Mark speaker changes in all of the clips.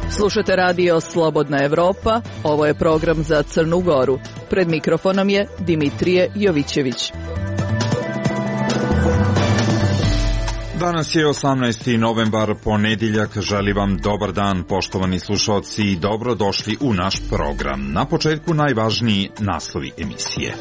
Speaker 1: Slušate radio Slobodna Evropa, ovo je program za Crnu Goru. Pred mikrofonom je Dimitrije Jovićević.
Speaker 2: Danas je 18. novembar, ponedjeljak. Želim vam dobar dan, poštovani slušalci, i dobrodošli u naš program. Na početku najvažniji naslovi emisije.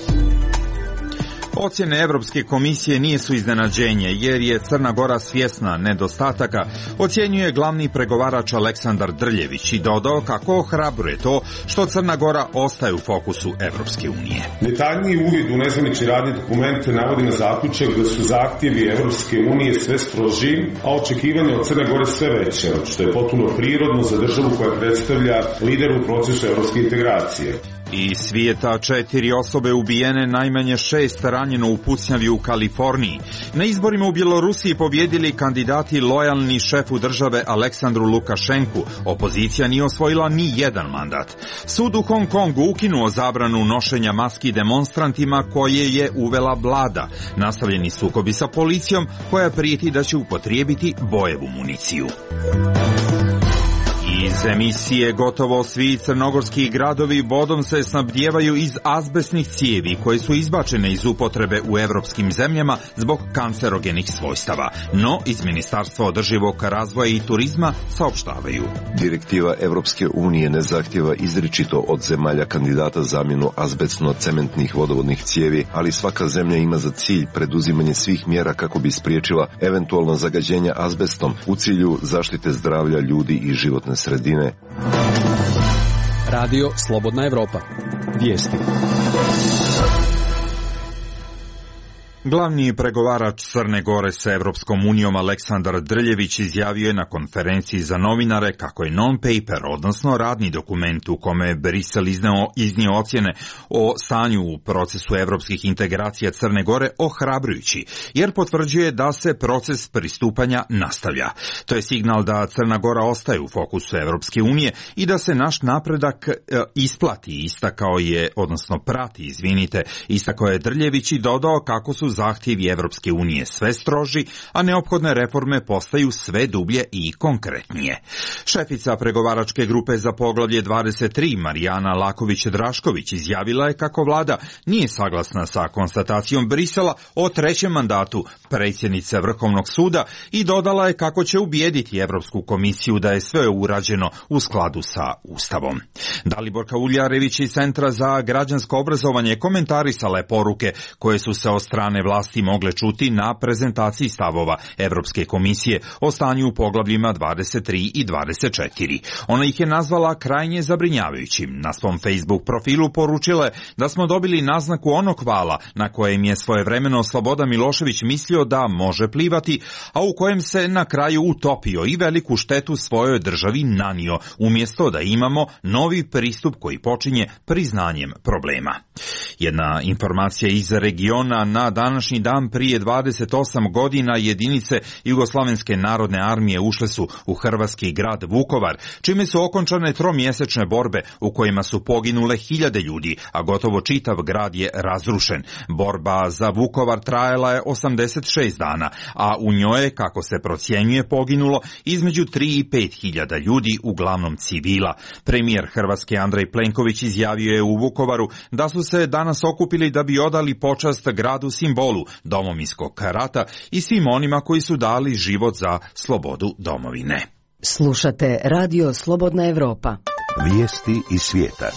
Speaker 2: Ocjene Evropske komisije nisu iznenađenje, jer je Crna Gora svjesna nedostataka, ocjenjuje glavni pregovarač Aleksandar Drljević i dodao kako ohrabruje to što Crna Gora ostaje u fokusu Evropske unije.
Speaker 3: Detaljniji uvid u nezvanične radne dokumente navodi na zaključak da su zahtjevi Evropske unije sve strožiji, a očekivanje od Crne Gore sve veće, što je potpuno prirodno za državu koja predstavlja lider u procesu evropske integracije.
Speaker 2: Iz svijeta 4 osobe ubijene, najmanje 6 ranjeno u pucnjavi u Kaliforniji. Na izborima u Bjelorusiji pobjedili kandidati lojalni šefu države Aleksandru Lukašenku. Opozicija nije osvojila ni jedan mandat. Sud u Hong Kongu ukinuo zabranu nošenja maski demonstrantima koje je uvela vlada. Nastavljeni sukobi sa policijom koja prijeti da će upotrijebiti bojevu municiju. Iz emisije gotovo svi crnogorski gradovi vodom se snabdijevaju iz azbestnih cijevi koje su izbačene iz upotrebe u evropskim zemljama zbog kancerogenih svojstava. No, iz Ministarstva održivog razvoja i turizma saopštavaju.
Speaker 4: Direktiva Evropske unije ne zahtjeva izričito od zemalja kandidata zamjenu azbestno-cementnih vodovodnih cijevi, ali svaka zemlja ima za cilj preduzimanje svih mjera kako bi spriječila eventualno zagađenje azbestom u cilju zaštite zdravlja ljudi i životne sredine.
Speaker 5: Radio Slobodna Evropa. Vijesti.
Speaker 2: Glavni pregovarač Crne Gore sa Evropskom unijom Aleksandar Drljević izjavio je na konferenciji za novinare kako je non-paper, odnosno radni dokument u kome je Brisel iznio ocjene o stanju u procesu evropskih integracija Crne Gore ohrabrujući, jer potvrđuje da se proces pristupanja nastavlja. To je signal da Crna Gora ostaje u fokusu Evropske unije i da se naš napredak isplati, istakao je Drljević i dodao kako su zahtjevi Evropske unije sve stroži, a neophodne reforme postaju sve dublje i konkretnije. Šefica pregovaračke grupe za poglavlje 23, Marijana Laković-Drašković, izjavila je kako vlada nije saglasna sa konstatacijom Brisela o trećem mandatu predsjednice Vrhovnog suda i dodala je kako će ubijediti Evropsku komisiju da je sve urađeno u skladu sa Ustavom. Daliborka Uljarević iz Centra za građansko obrazovanje komentarisala je poruke koje su se od strane vlasti mogle čuti na prezentaciji stavova Evropske komisije o stanju u poglavljima 23 i 24. Ona ih je nazvala krajnje zabrinjavajućim. Na svom Facebook profilu poručila je da smo dobili naznaku onog vala na kojem je svojevremeno Slobodan Milošević mislio da može plivati, a u kojem se na kraju utopio i veliku štetu svojoj državi nanio, umjesto da imamo novi pristup koji počinje priznanjem problema. Jedna informacija iz regiona: na današnji dan prije 28 godina jedinice Jugoslavenske narodne armije ušle su u hrvatski grad Vukovar, čime su okončane tromjesečne borbe u kojima su poginule hiljade ljudi, a gotovo čitav grad je razrušen. Borba za Vukovar trajala je 86 dana, a u njoj je, kako se procjenjuje, poginulo između 3 i 5 hiljada ljudi, uglavnom civila. Premijer Hrvatske Andrej Plenković izjavio je u Vukovaru da su se danas okupili da bi odali počast gradu simbolu Domovinskog rata i svim onima koji su dali život za slobodu domovine.
Speaker 6: Slušate Radio Slobodna Evropa.
Speaker 7: Vijesti iz svijeta.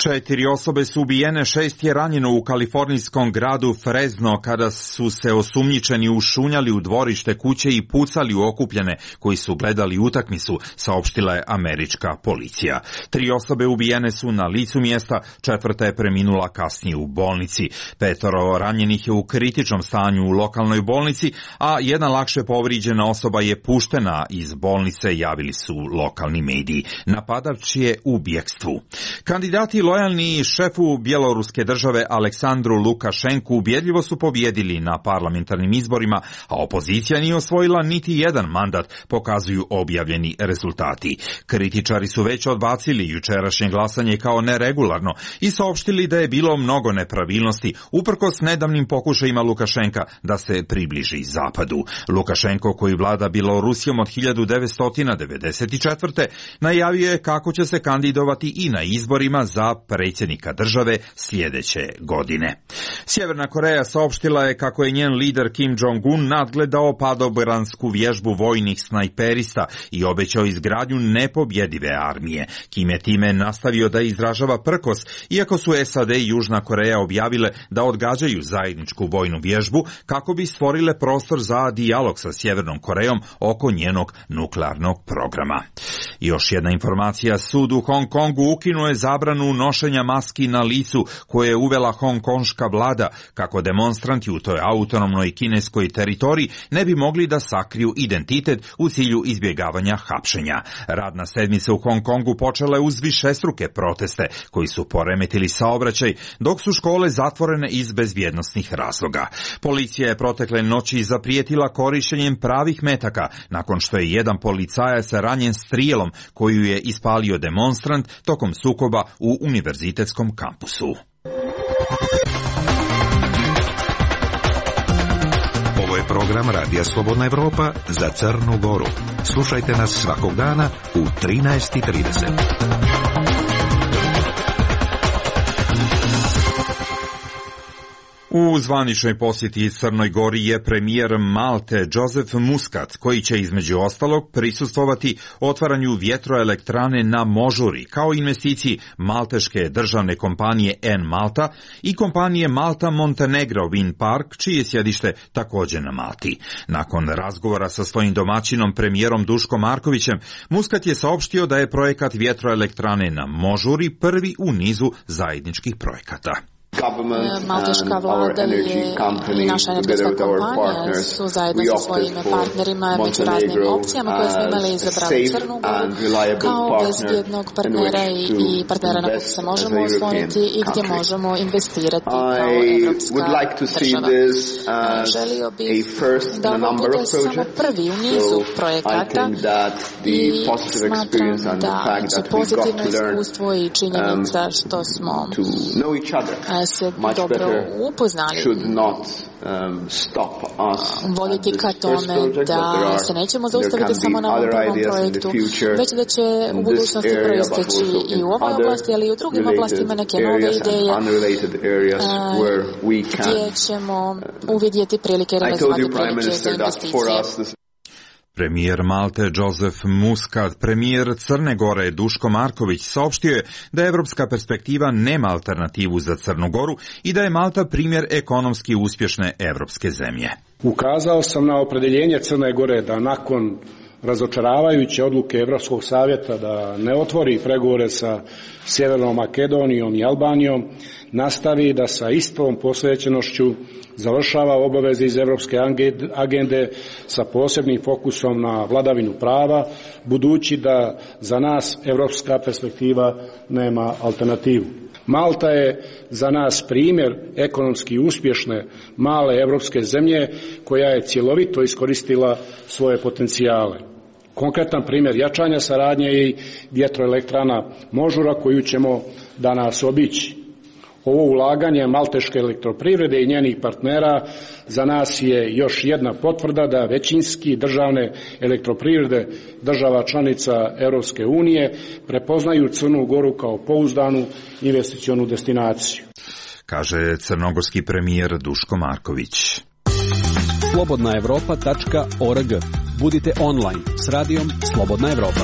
Speaker 2: 4 osobe su ubijene, 6 je ranjeno u kalifornijskom gradu Fresno kada su se osumnjičeni ušunjali u dvorište kuće i pucali u okupljene koji su gledali utakmicu, saopštila je američka policija. 3 osobe ubijene su na licu mjesta, 4. je preminula kasnije u bolnici. 5 ranjenih je u kritičnom stanju u lokalnoj bolnici, a jedna lakše povrijeđena osoba je puštena iz bolnice, javili su lokalni mediji. Napadač je u bjekstvu. Kandidati lojalni šefu bjeloruske države Aleksandru Lukašenku ubjedljivo su pobjedili na parlamentarnim izborima, a opozicija nije osvojila niti jedan mandat, pokazuju objavljeni rezultati. Kritičari su već odbacili jučerašnje glasanje kao neregularno i saopštili da je bilo mnogo nepravilnosti, uprkos nedavnim pokušajima Lukašenka da se približi zapadu. Lukašenko, koji vlada Bjelorusijom od 1994. najavio je kako će se kandidovati i na izborima za predsjednika države sljedeće godine. Sjeverna Koreja saopštila je kako je njen lider Kim Jong-un nadgledao padobransku vježbu vojnih snajperista i obećao izgradnju nepobjedive armije. Kim je time nastavio da izražava prkos, iako su SAD i Južna Koreja objavile da odgađaju zajedničku vojnu vježbu kako bi stvorile prostor za dijalog sa Sjevernom Korejom oko njenog nuklearnog programa. Još jedna informacija, sud u Hong Kongu ukinuo je zabranu nošenja maski na licu koje je uvela hongkonška vlada kako demonstranti u toj autonomnoj kineskoj teritoriji ne bi mogli da sakriju identitet u cilju izbjegavanja hapšenja. Radna sedmica u Hong Kongu počela je uz višestruke proteste koji su poremetili saobraćaj, dok su škole zatvorene iz bezbjednosnih razloga. Policija je protekle noći zaprijetila korištenjem pravih metaka nakon što je jedan policajac ranjen strijelom koju je ispalio demonstrant tokom sukoba u univerzitetskom kampusu.
Speaker 7: Ovo je program Radija Slobodna Evropa za Crnu Goru. Slušajte nas svakog dana u 13:30.
Speaker 2: U zvaničnoj posjeti Crnoj Gori je premijer Malte Joseph Muscat, koji će između ostalog prisustvovati otvaranju vjetroelektrane na Možuri, kao investiciji malteške državne kompanije N-Malta i kompanije Malta Montenegro Wind Park, čije je sjedište također na Malti. Nakon razgovora sa svojim domaćinom premijerom Duškom Markovićem, Muscat je saopštio da je projekat vjetroelektrane na Možuri prvi u nizu zajedničkih projekata.
Speaker 8: Malteška vlada i naša energetska kompanija su zajedno sa svojim partnerima među raznim opcijama koje smo imali izabrali Crnu Goru kao bezbjednog partnera i partnera na kog se možemo osloniti i gdje možemo investirati kao evropska država. Želio bih da ovo bude samo prvi u nizu projekata i smatram da će pozitivno iskustvo i činjenica što smo se dobro upoznali voditi ka tome da se nećemo zaustaviti samo na ovom prvom projektu, već da će u budućnosti proisteći i u ovoj oblasti, ali i u drugim oblastima neke nove ideje gdje ćemo uvidjeti prilike i realizovati prilike za investicije.
Speaker 2: Premijer Malte Joseph Muscat, premijer Crne Gore Duško Marković saopštio je da evropska perspektiva nema alternativu za Crnu Goru i da je Malta primjer ekonomski uspješne evropske zemlje.
Speaker 9: Ukazao sam na opredeljenje Crne Gore da nakon razočaravajuće odluke Evropskog savjeta da ne otvori pregovore sa Sjevernom Makedonijom i Albanijom, nastavi da sa istom posvećenošću završava obaveze iz Evropske agende sa posebnim fokusom na vladavinu prava, budući da za nas evropska perspektiva nema alternativu. Malta je za nas primjer ekonomski uspješne male evropske zemlje koja je cjelovito iskoristila svoje potencijale. Konkretan primjer jačanja saradnje i vjetroelektrana Možura koju ćemo danas obići. Ovo ulaganje malteške elektroprivrede i njenih partnera za nas je još jedna potvrda da većinski državne elektroprivrede država članica Europske unije prepoznaju Crnu Goru kao pouzdanu investicionu destinaciju.
Speaker 2: Kaže crnogorski premijer Duško Marković.
Speaker 5: slobodnaevropa.org. Budite online s radijom Slobodna Evropa.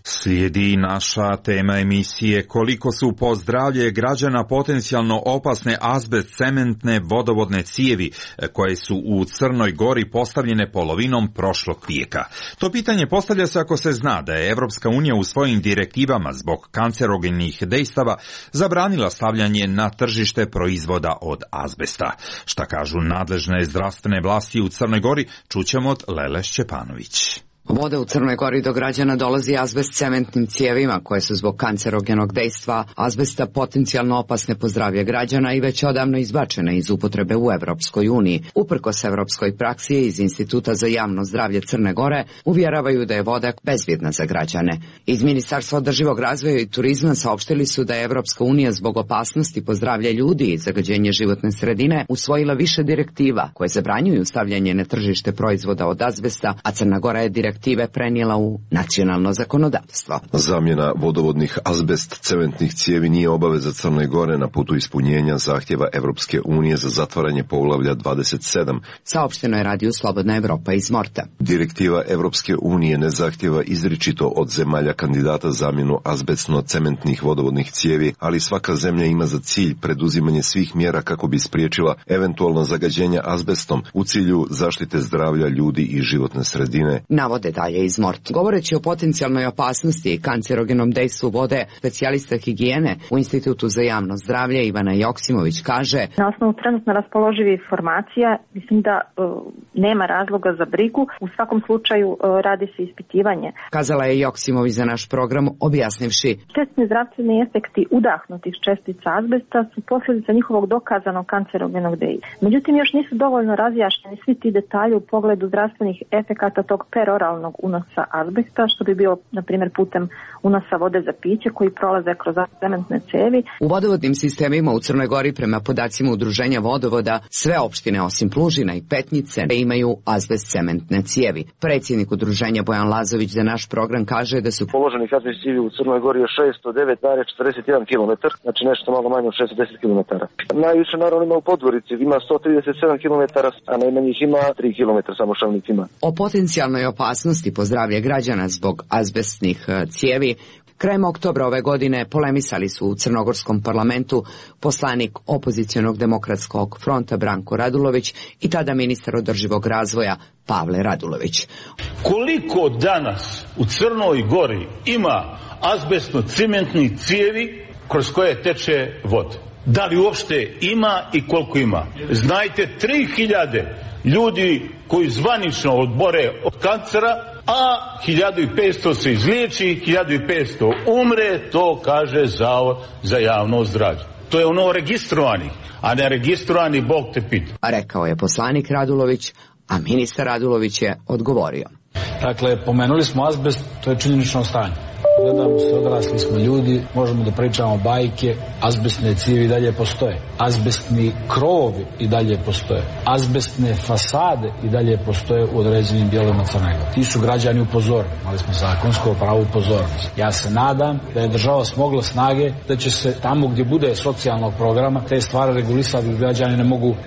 Speaker 2: Slijedi naša tema emisije koliko su po zdravlje građana potencijalno opasne azbest cementne vodovodne cijevi koje su u Crnoj Gori postavljene polovinom prošlog vijeka. To pitanje postavlja se ako se zna da je Evropska unija u svojim direktivama zbog kancerogenih dejstava zabranila stavljanje na tržište proizvoda od azbesta. Šta kažu nadležne zdravstvene vlasti u Crnoj Gori, čućemo od Lele Šćepanović.
Speaker 10: Voda u Crnoj Gori do građana dolazi azbest cementnim cijevima koje su zbog kancerogenog dejstva azbesta potencijalno opasne po zdravlje građana i već odavno izbačene iz upotrebe u Evropskoj uniji. Uprkos evropskoj praksi iz Instituta za javno zdravlje Crne Gore uvjeravaju da je voda bezbjedna za građane. Iz Ministarstva održivog razvoja i turizma saopštili su da je Evropska unija zbog opasnosti po zdravlje ljudi i zagađenje životne sredine usvojila više direktiva koje zabranjuju stavljanje na tržište proizvoda od azbesta, a Crna Gora je direktive prenijela u nacionalno zakonodavstvo.
Speaker 4: Zamjena vodovodnih azbest cementnih cijevi nije obaveza Crne Gore na putu ispunjenja zahtjeva Evropske unije za zatvaranje poglavlja 27.
Speaker 10: Saopšteno je radiju Slobodna Evropa iz Morta.
Speaker 4: Direktiva Evropske unije ne zahtjeva izričito od zemalja kandidata zamjenu azbestno-cementnih vodovodnih cijevi, ali svaka zemlja ima za cilj preduzimanje svih mjera kako bi spriječila eventualno zagađenje azbestom u cilju zaštite zdravlja ljudi i životne sredine.
Speaker 10: Navode dalje iz Mort. Govoreći o potencijalnoj opasnosti i kancerogenom dejstvu vode, specijalista higijene u Institutu za javno zdravlje Ivana Joksimović kaže:
Speaker 11: Na osnovu trenutno raspoloživih informacija mislim da nema razloga za brigu. U svakom slučaju radi se ispitivanje.
Speaker 10: Kazala je Joksimović za naš program objasnivši:
Speaker 11: štetni zdravstveni efekti udahnutih čestica azbesta su posljedica njihovog dokazanog kancerogenog dejstva. Međutim, još nisu dovoljno razjašnjeni svi ti detalji u pogledu zdravstvenih efekata tog peroralnog unosa azbesta, što bi bio, na primjer, putem unosa vode za piće koji prolaze kroz cementne cijevi.
Speaker 10: U vodovodnim sistemima u Crnoj Gori, prema podacima Udruženja vodovoda, sve opštine osim Plužina i Petnice imaju azbest cementne cijevi. Predsjednik Udruženja Bojan Lazović za naš program kaže da su
Speaker 12: položenih azbest cijevi u Crnoj Gori je 609,41 km, znači nešto malo manje od 610 km. Najviše naravno ima u Podgorici, ima 137 km, a najmanje ih ima 3 km samo Šavnik ima.
Speaker 10: O potencijalnoj opasnosti po zdravlje građana zbog azbestnih cijevi krajem oktobra ove godine polemisali su u crnogorskom parlamentu poslanik opozicionog demokratskog fronta Branko Radulović i tada ministar održivog razvoja Pavle Radulović.
Speaker 13: Koliko danas u Crnoj Gori ima azbestno-cementnih cijevi kroz koje teče voda? Da li uopšte ima i koliko ima? Znajte, 3000 ljudi koji zvanično odbore od kancera, a 1500 se izliječi, 1500 umre, to kaže Zavod za javno zdravlje. To je ono registrovani, a ne registrovani Bog te pita.
Speaker 10: Rekao je poslanik Radulović, a ministar Radulović je odgovorio.
Speaker 14: Dakle, pomenuli smo azbest, to je činjenično stanje. Gledamo se, odrasli smo ljudi, možemo da pričamo bajke, azbestne cijevi i dalje postoje. Azbestni krovovi i dalje postoje. Azbestne fasade i dalje postoje u određenim dijelovima Crne Gore. Ti su građani upozoreni, imali smo zakonsko pravo upozornosti. Ja se nadam da je država smogla snage da će se tamo gdje bude socijalnog programa te stvari regulisati, građani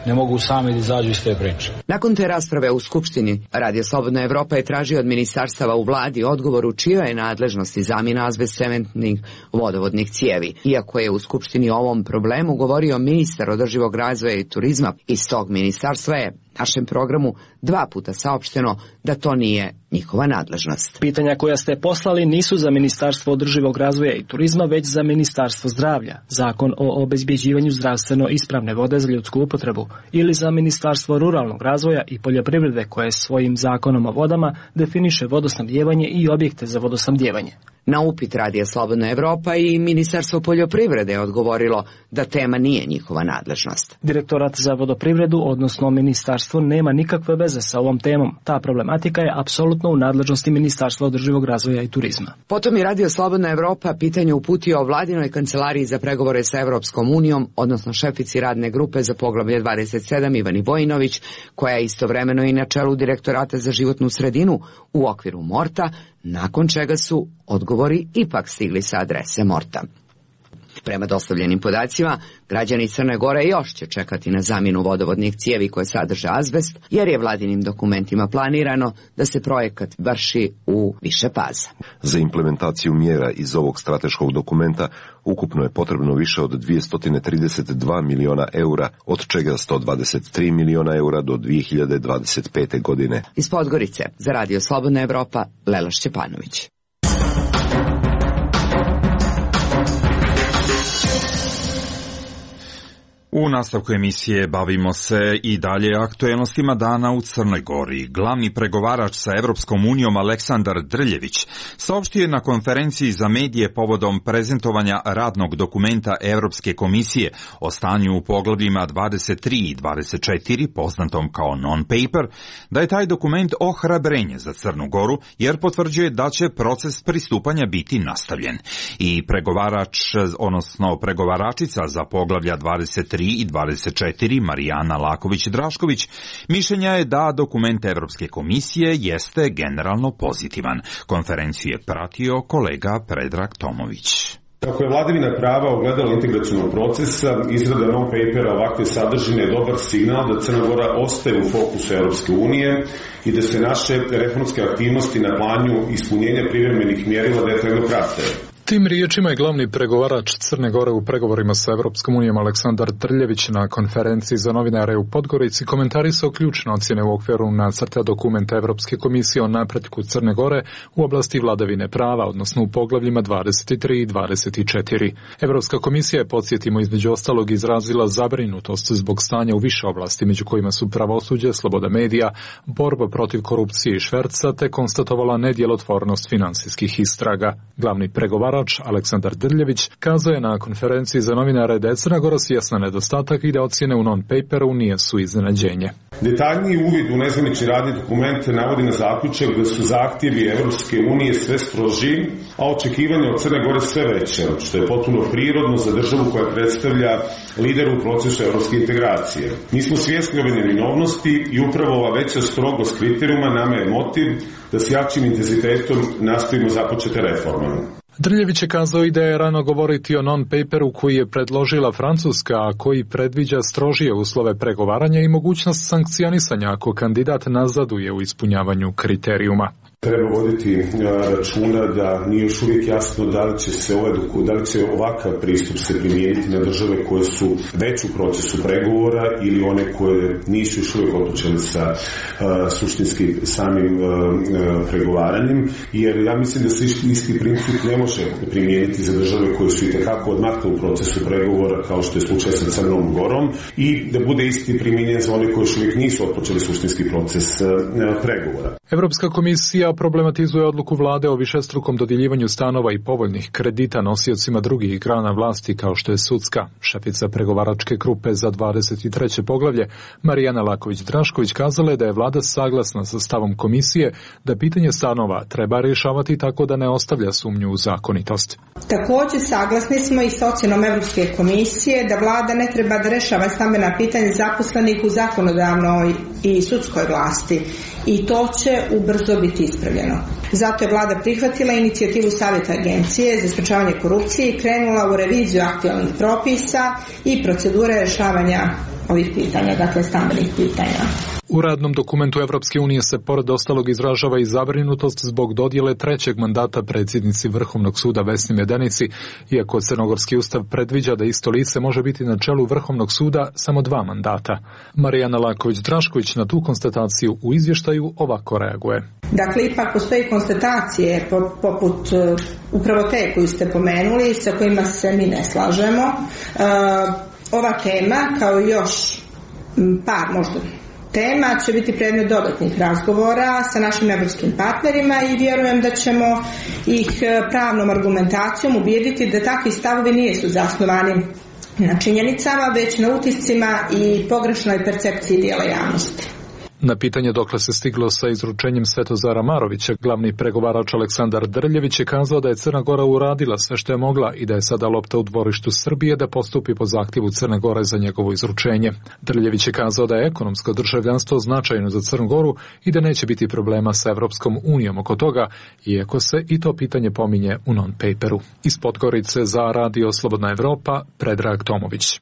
Speaker 14: ne mogu sami da izađu iz te priče.
Speaker 10: Nakon te rasprave u Skupštini, Radio Slobodna Evropa je tražio od ministarstava u vladi odgovor u čijoj je nadležnosti zamjena azbest cementnih vodovodnih cijevi. Iako je u Skupštini o ovom problemu govorio ministar održivog razvoja i turizma, iz tog ministarstva je našem programu 2 puta saopšteno da to nije njihova nadležnost.
Speaker 15: Pitanja koja ste poslali nisu za Ministarstvo održivog razvoja i turizma, već za Ministarstvo zdravlja, Zakon o obezbjeđivanju zdravstveno ispravne vode za ljudsku upotrebu, ili za Ministarstvo ruralnog razvoja i poljoprivrede koje svojim zakonom o vodama definiše vodosnabdijevanje i objekte za vodosnabdijevanje.
Speaker 10: Na upit Radija Slobodna Evropa i Ministarstvo poljoprivrede je odgovorilo da tema nije njihova nadležnost.
Speaker 15: Direktorat za vodoprivredu, odnosno ministarstvo, nema nikakve veze sa ovom temom. Ta problematika je apsolutno u nadležnosti Ministarstva održivog razvoja i turizma.
Speaker 10: Potom je Radio Slobodna Evropa pitanje uputio vladinoj kancelariji za pregovore sa Evropskom unijom, odnosno šefici radne grupe za poglavlje 27 Ivani Vojinović, koja je istovremeno i na čelu Direktorata za životnu sredinu u okviru Morta, nakon čega su odgovori ipak stigli sa adrese Morta. Prema dostavljenim podacima, građani Crne Gore još će čekati na zamjenu vodovodnih cijevi koje sadrže azbest, jer je vladinim dokumentima planirano da se projekat vrši u više faza.
Speaker 4: Za implementaciju mjera iz ovog strateškog dokumenta ukupno je potrebno više od 232 miliona eura, od čega 123 miliona eura do 2025. godine.
Speaker 10: Iz Podgorice, za Radio Slobodna Evropa, Lela Šćepanović.
Speaker 2: U U nastavku emisije bavimo se i dalje aktuelnostima dana u Crnoj Gori. Glavni pregovarač sa Evropskom unijom Aleksandar Drljević saopštio je na konferenciji za medije povodom prezentovanja radnog dokumenta Evropske komisije o stanju u poglavljima 23 i 24, poznatom kao non-paper, da je taj dokument ohrabrenje za Crnu Goru jer potvrđuje da će proces pristupanja biti nastavljen. I pregovaračica za poglavlja 23 i 24, Marijana Laković-Drašković, mišljenja je da dokument Evropske komisije jeste generalno pozitivan. Konferenciju je pratio kolega Predrag Tomović.
Speaker 3: Kako je vladavina prava ogledalo integracionog procesa, izrada non-papera ovakve sadržine je dobar signal da Crna Gora ostaje u fokusu Europske unije i da se naše reformske aktivnosti na planu ispunjenja privremenih mjerila detaljno prate.
Speaker 16: Tim riječima je glavni pregovarač Crne Gore u pregovorima sa Evropskom unijom Aleksandar Drljević na konferenciji za novinare u Podgorici komentarisao ključne ocjene u okviru nacrta dokumenta Evropske komisije o napretku Crne Gore u oblasti vladavine prava, odnosno u poglavljima 23 i 24. Evropska komisija je, podsjetimo, između ostalog izrazila zabrinutost zbog stanja u više oblasti, među kojima su pravosuđe, sloboda medija, borba protiv korupcije i šverca, te konstatovala nedjelotvornost finansijskih istraga. Glavni pregovarač Aleksandar Drljević kazao je na konferenciji za novinare da je Crna Gora svjesna nedostatak i da ocjene u non-paperu nisu iznenađenje.
Speaker 3: Detaljniji uvid u nezvanični radni dokument navodi na zaključak da su zahtjevi Evropske unije sve stroži, a očekivanja od Crne Gore sve veće, što je potpuno prirodno za državu koja predstavlja lidera u procesu evropske integracije. Mi smo svjesni ove neminovnosti i upravo ova veća strogost kriterijuma nama je motiv da s jačim intenzitetom nastavimo započete reforme.
Speaker 16: Drljević je kazao i da je rano govoriti o non-paperu koji je predložila Francuska, a koji predviđa strožije uslove pregovaranja i mogućnost sankcionisanja ako kandidat nazaduje u ispunjavanju kriterijuma.
Speaker 3: Treba voditi računa da nije još uvijek jasno da li će ovakav pristup se primijeniti na države koje su već u procesu pregovora ili one koje nisu još uvijek otpočeli sa suštinski samim pregovaranjem, jer ja mislim da se isti princip ne može primijeniti za države koje su itekako odmakle u procesu pregovora, kao što je slučaj sa Crnom Gorom, i da bude isti primijenjen za one koje još uvijek nisu otpočeli suštinski proces pregovora.
Speaker 16: Evropska komisija problematizuje odluku vlade o višestrukom dodjeljivanju stanova i povoljnih kredita nosiocima drugih grana vlasti kao što je sudska. Šefica pregovaračke grupe za 23. poglavlje Marijana Laković-Drašković kazala je da je vlada saglasna sa stavom komisije da pitanje stanova treba rješavati tako da ne ostavlja sumnju u zakonitost.
Speaker 17: Također saglasni smo i s ocjenom Evropske komisije da vlada ne treba da rješava stambena pitanja zaposlenih u zakonodavnoj i sudskoj vlasti i to će ubrzo biti ispravljeno. Zato je vlada prihvatila inicijativu Savjeta Agencije za sprečavanje korupcije i krenula u reviziju aktualnih propisa i procedure rješavanja ovih pitanja, dakle stambenih pitanja.
Speaker 16: U radnom dokumentu Evropske unije se pored ostalog izražava i zabrinutost zbog dodjele trećeg mandata predsjednici Vrhovnog suda Vesni Medenici, iako Crnogorski ustav predviđa da isto lice može biti na čelu Vrhovnog suda samo 2 mandata. Marijana Laković-Drašković na tu konstataciju u izvještaju ovako reaguje.
Speaker 17: Dakle, ipak postoji konstatacije poput upravo te koju ste pomenuli, sa kojima se mi ne slažemo. Ova tema, kao i još par možda tema, će biti predmet dodatnih razgovora sa našim evropskim partnerima i vjerujem da ćemo ih pravnom argumentacijom ubijediti da takvi stavovi nisu zasnovani na činjenicama, već na utiscima i pogrešnoj percepciji dijela javnosti.
Speaker 16: Na pitanje dokle se stiglo sa izručenjem Svetozara Marovića, glavni pregovarač Aleksandar Drljević je kazao da je Crna Gora uradila sve što je mogla i da je sada lopta u dvorištu Srbije da postupi po zahtjevu Crne Gore za njegovo izručenje. Drljević je kazao da je ekonomsko državljanstvo značajno za Crnu Goru i da neće biti problema sa Evropskom unijom oko toga, iako se i to pitanje pominje u non-paperu. Iz Podgorice za Radio Slobodna Evropa, Predrag Tomović.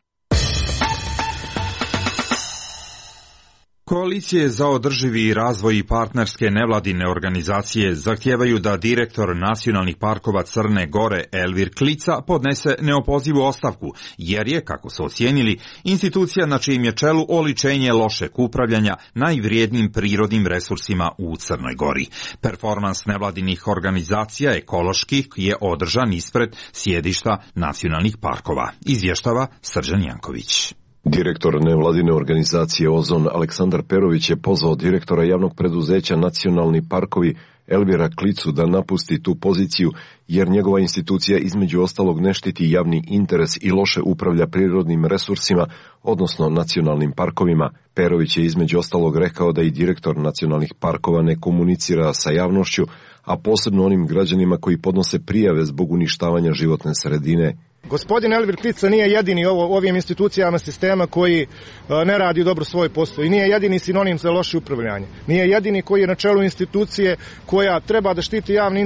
Speaker 2: Koalicije za održivi razvoj i partnerske nevladine organizacije zahtijevaju da direktor nacionalnih parkova Crne Gore Elvir Klica podnese neopozivu ostavku, jer je, kako su ocijenili, institucija na čijem je čelu oličenje lošeg upravljanja najvrijednijim prirodnim resursima u Crnoj Gori. Performans nevladinih organizacija ekoloških je održan ispred sjedišta nacionalnih parkova, izvještava Srđan Janković.
Speaker 4: Direktor nevladine organizacije Ozon Aleksandar Perović je pozvao direktora javnog preduzeća Nacionalni parkovi Elvira Klicu da napusti tu poziciju, jer njegova institucija između ostalog ne štiti javni interes i loše upravlja prirodnim resursima, odnosno nacionalnim parkovima. Perović je između ostalog rekao da i direktor nacionalnih parkova ne komunicira sa javnošću, a posebno onim građanima koji podnose prijave zbog uništavanja životne sredine.
Speaker 18: Gospodin Elvir Klica nije jedini ovim institucijama sistema koji ne radi dobro svoj posao i nije jedini sinonim za loše upravljanje. Nije jedini koji je na čelu institucije koja treba da štiti javni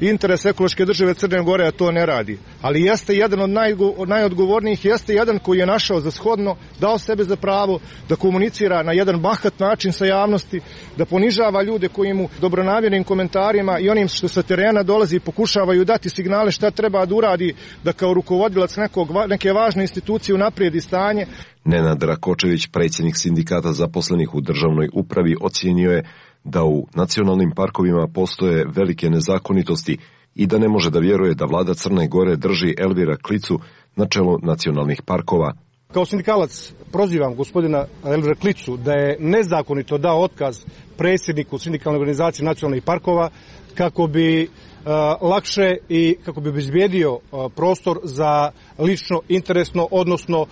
Speaker 18: interes ekološke države Crne Gore, a to ne radi. Ali jeste jedan od najodgovornijih, jeste jedan koji je našao za shodno, dao sebe za pravo da komunicira na jedan bahat način sa javnosti, da ponižava ljude koji mu dobronamjernim komentarima i onim što sa terena dolazi pokušavaju dati signale šta treba da uradi, da kao rukovodilac neke važne institucije unaprijedi stanje.
Speaker 4: Nenad Rakočević, predsjednik sindikata zaposlenih u državnoj upravi, ocijenio je da u nacionalnim parkovima postoje velike nezakonitosti i da ne može da vjeruje da vlada Crne Gore drži Elvira Klicu na čelu nacionalnih parkova.
Speaker 18: Kao sindikalac prozivam gospodina Elvira Klicu da je nezakonito dao otkaz predsjedniku sindikalne organizacije nacionalnih parkova kako bi lakše i kako bi obezbijedio prostor za lično interesno, odnosno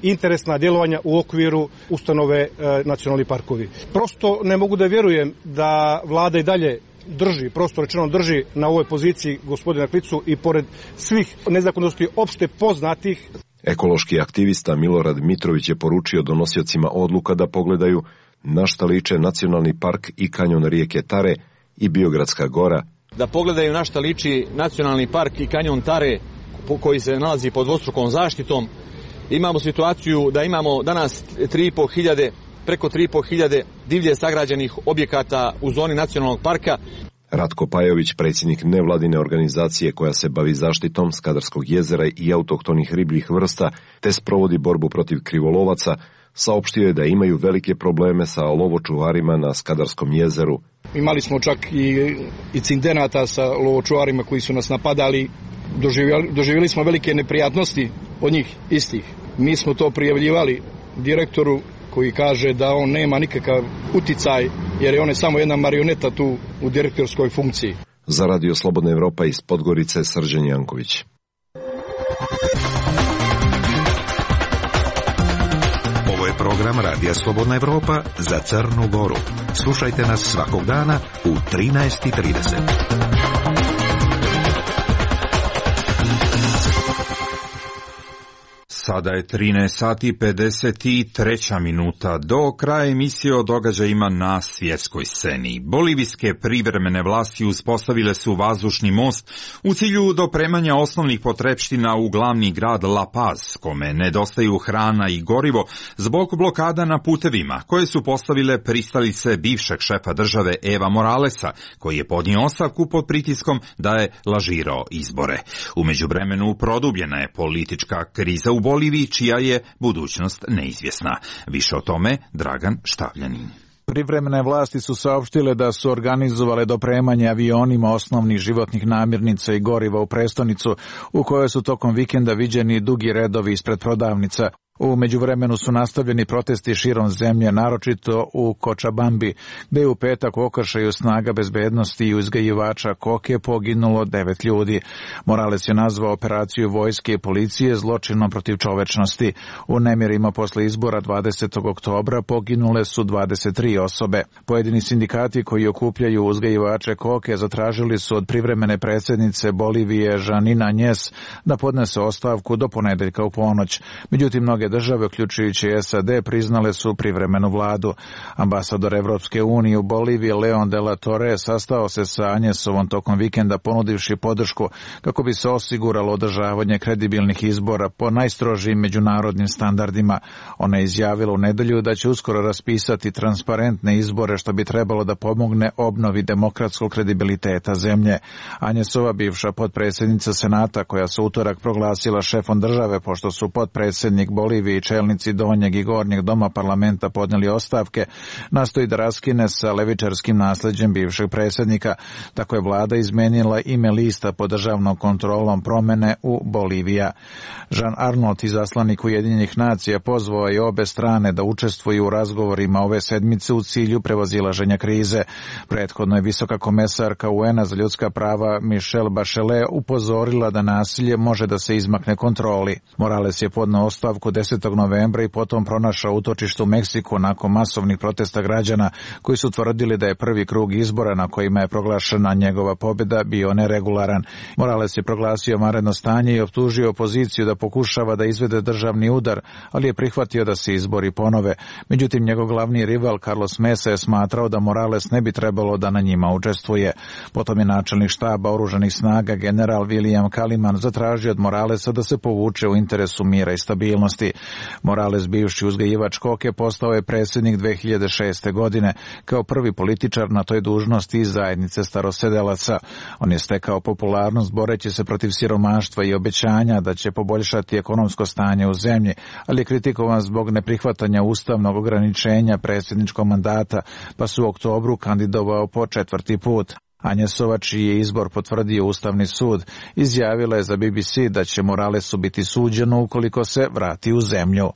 Speaker 18: interesna djelovanja u okviru ustanove nacionalni parkovi. Prosto ne mogu da vjerujem da vlada i dalje drži na ovoj poziciji gospodina Klicu i pored svih nezakonitosti opšte poznatih.
Speaker 4: Ekološki aktivista Milorad Mitrović je poručio donosiocima odluka da pogledaju na šta liče nacionalni park i kanjon rijeke Tare i Biogradska gora.
Speaker 19: Da pogledaju na šta liči nacionalni park i kanjon Tare koji se nalazi pod dvostrukom zaštitom. Imamo situaciju da imamo danas preko 3.500 divlje sagrađenih objekata u zoni nacionalnog parka.
Speaker 4: Ratko Pajović, predsjednik nevladine organizacije koja se bavi zaštitom Skadarskog jezera i autohtonih ribljih vrsta te sprovodi borbu protiv krivolovaca, saopštio je da imaju velike probleme sa lovočuvarima na Skadarskom jezeru.
Speaker 20: Imali smo čak i incidenata sa lovočuvarima koji su nas napadali. Doživjeli smo velike neprijatnosti od njih istih. Mi smo to prijavljivali direktoru koji kaže da on nema nikakav uticaj jer je on samo jedna marioneta tu u direktorskoj funkciji.
Speaker 4: Za Radio Slobodna Evropa iz Podgorice, Srđan Janković.
Speaker 7: Ovo je program Radija Slobodna Evropa za Crnu Goru. Slušajte nas svakog dana u 13:30.
Speaker 2: Sada je 13:53 do kraja emisije o događajima na svjetskoj sceni. Bolivijske privremene vlasti uspostavile su vazdušni most u cilju dopremanja osnovnih potrepština u glavni grad La Paz, kome nedostaju hrana i gorivo zbog blokada na putevima, koje su postavile pristalice bivšeg šefa države Eva Moralesa, koji je podnio ostavku pod pritiskom da je lažirao izbore. U međuvremenu produbljena je politička kriza u Boliviji, čija je budućnost neizvjesna. Više o tome Dragan Štavljanin.
Speaker 21: Privremene vlasti su saopštile da su organizovale dopremanje avionima osnovnih životnih namirnica i goriva u prestonicu, u kojoj su tokom vikenda viđeni dugi redovi ispred prodavnica. U međuvremenu su nastavljeni protesti širom zemlje, naročito u Kočabambi, gde je u petak u okršaju snaga bezbednosti i uzgajivača koke poginulo 9 ljudi. Morales je nazvao operaciju vojske i policije zločinom protiv čovečnosti. U nemirima posle izbora 20. oktobra poginule su 23 osobe. Pojedini sindikati koji okupljaju uzgajivače koke zatražili su od privremene predsjednice Bolivije Žanina Njes da podnese ostavku do ponedeljka u ponoć. Međutim, mnoge države, uključujući SAD, priznale su privremenu vladu. Ambasador Evropske unije u Boliviji Leon de la Torre sastao se sa Anjesovom tokom vikenda, ponudivši podršku kako bi se osiguralo održavanje kredibilnih izbora po najstrožijim međunarodnim standardima. Ona je izjavila u nedelju da će uskoro raspisati transparentne izbore, što bi trebalo da pomogne obnovi demokratskog kredibiliteta zemlje. Anjesova, bivša potpredsjednica Senata, koja se utorak proglasila šefom države pošto su potpredsjednik Bolivije Boliviji čelnici donjeg i gornjeg doma parlamenta podnijeli ostavke, nastoji da raskine sa levičarskim nasleđem bivšeg predsjednika. Tako je vlada izmenila ime lista pod državnom kontrolom promjene u Bolivija. Jean Arnault, izaslanik Ujedinjenih nacija, pozvao je obe strane da učestvuju u razgovorima ove sedmice u cilju prevazilaženja krize. Prethodno je visoka komesarka UN-a za ljudska prava Michelle Bachelet upozorila da nasilje može da se izmakne kontroli. Morales je podneo ostavku 10. novembra i potom pronašao utočište u Meksiku nakon masovnih protesta građana koji su tvrdili da je prvi krug izbora na kojima je proglašena njegova pobjeda bio neregularan. Morales je proglasio vanredno stanje i optužio opoziciju da pokušava da izvede državni udar, ali je prihvatio da se izbori ponove. Međutim, njegov glavni rival Carlos Mesa je smatrao da Morales ne bi trebalo da na njima učestvuje. Potom je načelnik štaba oružanih snaga general William Kaliman zatražio od Moralesa da se povuče u interesu mira i stabilnosti. Morales, bivši uzgajivač koke, postao je predsjednik 2006. godine kao prvi političar na toj dužnosti iz zajednice starosedelaca. On je stekao popularnost boreći se protiv siromaštva i obećanja da će poboljšati ekonomsko stanje u zemlji, ali je kritikovan zbog neprihvatanja ustavnog ograničenja predsjedničkog mandata, pa su u oktobru kandidovao po 4. put. Anjesova, čiji je izbor potvrdio Ustavni sud, izjavila je za BBC da će Moralesu biti suđeno ukoliko se vrati u zemlju.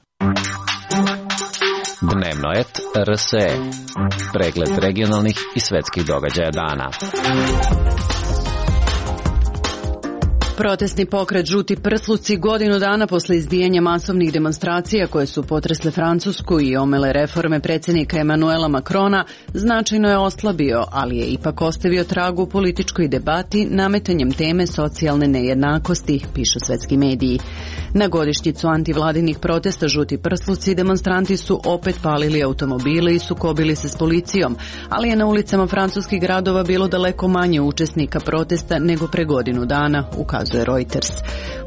Speaker 1: Dnevno et RSE. Pregled regionalnih i svetskih događaja dana.
Speaker 22: Protestni pokret Žuti prsluci godinu dana posle izbijanja masovnih demonstracija koje su potresle Francusku i omele reforme predsjednika Emanuela Macrona značajno je oslabio, ali je ipak ostavio trag u političkoj debati nametanjem teme socijalne nejednakosti, pišu svetski mediji. Na godišnjicu antivladinih protesta Žuti prsluci demonstranti su opet palili automobile i sukobili se s policijom, ali je na ulicama francuskih gradova bilo daleko manje učesnika protesta nego pre godinu dana, ukazuje Reuters.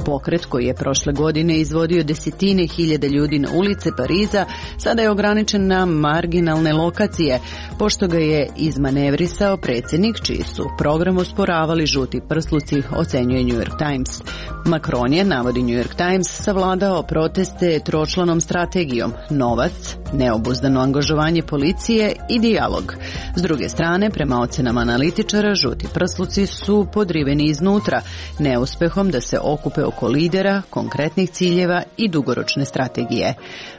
Speaker 22: Pokret koji je prošle godine izvodio desetine hiljada ljudi na ulice Pariza sada je ograničen na marginalne lokacije, pošto ga je izmanevrisao predsjednik čiji su program osporavali Žuti prsluci, ocenjuje New York Times. Macron je, navodi New York Times, savladao proteste tročlanom strategijom: novac, neobuzdano angažovanje policije i dijalog. S druge strane, prema ocenama analitičara, Žuti prsluci su podriveni iznutra, neuspehom da se okupe oko lidera, konkretnih ciljeva i dugoročne strategije.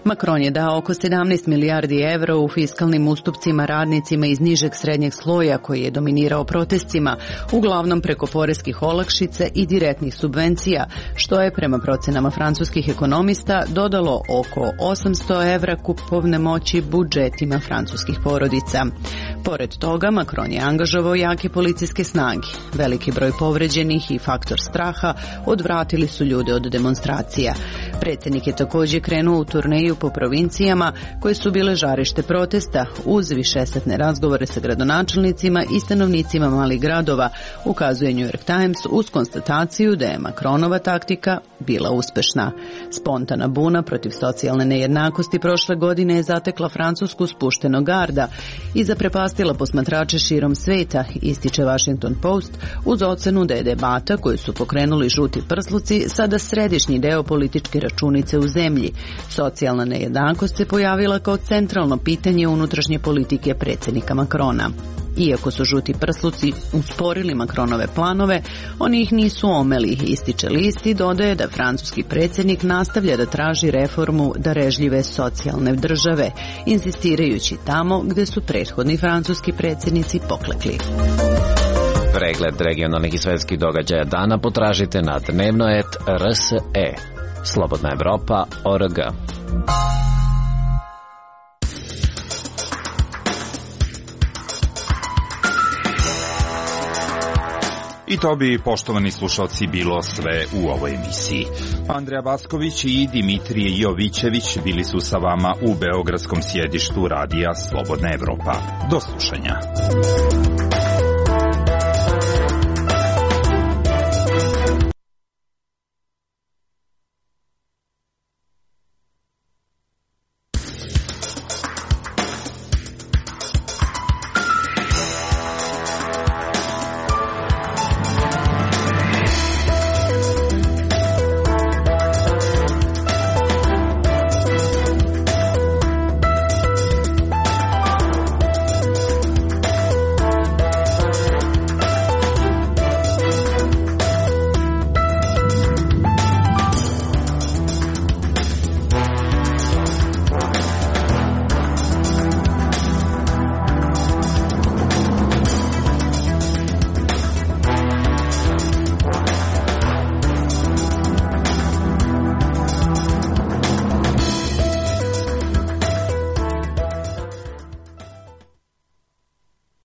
Speaker 22: Macron je dao oko 17 milijardi evra u fiskalnim ustupcima radnicima iz nižeg srednjeg sloja koji je dominirao protestima, uglavnom preko poreskih olakšica i direktnih subvencija, što je prema procenama francuskih ekonomista dodalo oko 800 evra kupovne moći budžetima francuskih porodica. Pored toga, Macron je angažovao jake policijske snage. Veliki broj povređenih i faktor straha odvratili su ljude od demonstracija. Predsjednik je također krenuo u turneju po provincijama koje su bile žarište protesta uz višesatne razgovore sa gradonačelnicima i stanovnicima malih gradova, ukazuje New York Times uz konstataciju da je Macronova taktika bila uspešna. Spontana buna protiv socijalne nejednakosti prošle godine je zatekla Francusku spuštenog garda i zaprepastila posmatrače širom sveta, ističe Washington Post, uz ocenu da je debata koju su pokrenuli Žuti prsluci sada središnji deo političke računice u zemlji. Socijalna nejednakost se pojavila kao centralno pitanje unutrašnje politike predsjednika Macrona. Iako su Žuti prsluci usporili Macronove planove, oni ih nisu omeli, ističe list i dodaje da francuski predsjednik nastavlja da traži reformu darežljive socijalne države, insistirajući tamo gde su prethodni francuski predsjednici poklekli.
Speaker 1: Pregled regionalnih i svetskih događaja dana potražite na dnevnoet.rse. Slobodna Evropa.org.
Speaker 2: I to bi, poštovani slušalci, bilo sve u ovoj emisiji. Andreja Basković i Dimitrije Jovićević bili su sa vama u beogradskom sjedištu radija Slobodna Evropa. Do slušanja.